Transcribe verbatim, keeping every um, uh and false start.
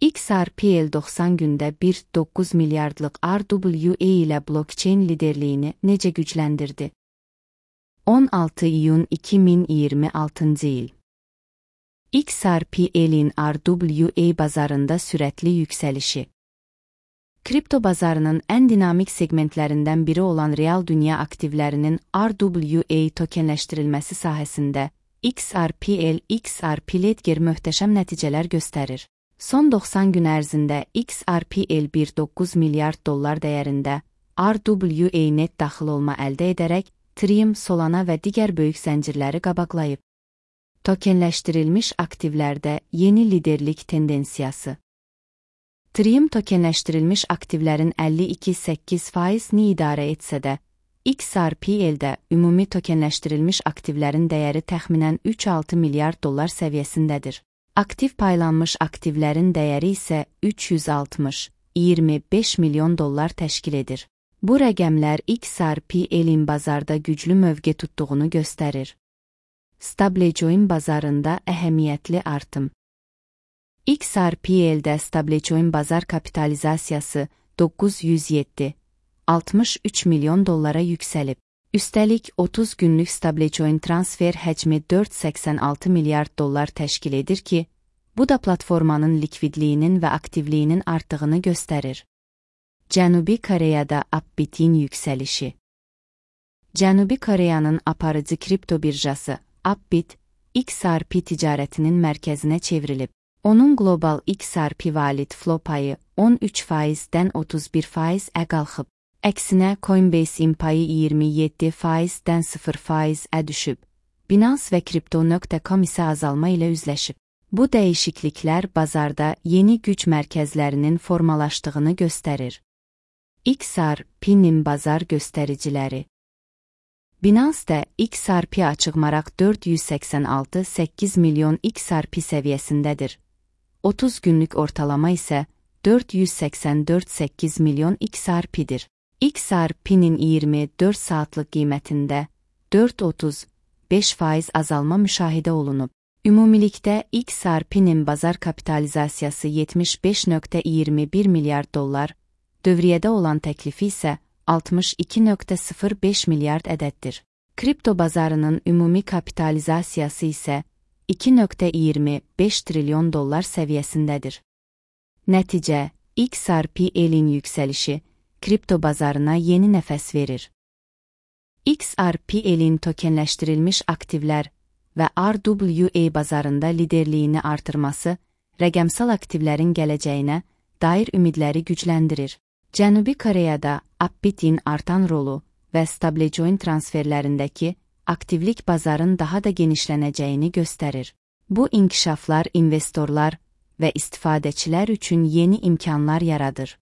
X R P L doxsan gündə bir nöqtə doqquz milyardlıq R W A ilə blockchain liderliyini necə gücləndirdi? on altı iyun iki min iyirmi altıncı il. X R P L'in R W A bazarında sürətli yüksəlişi. Kripto bazarının ən dinamik segmentlərindən biri olan real dünya aktivlərinin R W A tokenləşdirilməsi sahəsində X R P L X R P Ledger möhtəşəm nəticələr göstərir. Son doxsan gün ərzində X R P L bir nöqtə doqquz milyard dollar dəyərində R W A net daxil olma əldə edərək Trium, Solana və digər böyük zəncirləri qabaqlayıb. Tokenləşdirilmiş aktivlərdə yeni liderlik tendensiyası. Trium tokenləşdirilmiş aktivlərin əlli iki nöqtə səkkiz faizini idarə etsə də, X R P L'də ümumi tokenləşdirilmiş aktivlərin dəyəri təxminən üç nöqtə altı milyard dollar səviyyəsindədir. Aktiv paylanmış aktivlərin dəyəri isə üç yüz altmış nöqtə iyirmi beş milyon dollar təşkil edir. Bu rəqəmlər X R P L'in bazarda güclü mövqe tutduğunu göstərir. Stablecoin bazarında əhəmiyyətli artım. X R P L'də stablecoin bazar kapitalizasiyası doqquz yüz yeddi nöqtə altmış üç milyon dollara yüksəlib. Üstəlik otuz günlük stablecoin transfer həcmi dörd nöqtə səksən altı milyard dollar təşkil edir ki, bu da platformanın likvidliyinin və aktivliyinin artdığını göstərir. Cənubi Koreyada Upbit'in yüksəlişi. Cənubi Koreyanın aparıcı kripto birjası Upbit, X R P ticarətinin mərkəzinə çevrilib. Onun qlobal X R P valid flow payı on üç faizdən otuz bir faizə qalxıb. Əksinə Coinbase-in payı iyirmi yeddi faizdən sıfır faizə düşüb. Binance və Crypto nöqtə com isə azalma ilə üzləşib. Bu dəyişikliklər bazarda yeni güc mərkəzlərinin formalaşdığını göstərir. X R P'nin bazar göstəriciləri. Binance-də X R P açıq maraq dörd yüz səksən altı nöqtə səkkiz milyon X R P səviyyəsindədir. otuz günlük ortalama isə dörd yüz səksən dörd nöqtə səkkiz milyon X R P'dir. X R P'nin iyirmi dörd saatlıq qiymətində dörd nöqtə otuz beş faiz azalma müşahidə olunub. Ümumilikdə X R P'nin bazar kapitalizasiyası yetmiş beş nöqtə iyirmi bir milyard dollar, dövriyyədə olan təklifi isə altmış iki nöqtə sıfır beş milyard ədəddir. Kripto bazarının ümumi kapitalizasiyası isə iki nöqtə iyirmi beş trilyon dollar səviyyəsindədir. Nəticə, X R P L'in yüksəlişi kripto bazarına yeni nəfəs verir. X R P L'in tokenləşdirilmiş aktivlər və R W A bazarında liderliyini artırması rəqəmsal aktivlərin gələcəyinə dair ümidləri gücləndirir. Cənubi Koreyada Upbit'in artan rolu və stablecoin transferlərindəki aktivlik bazarın daha da genişlənəcəyini göstərir. Bu inkişaflar investorlar və istifadəçilər üçün yeni imkanlar yaradır.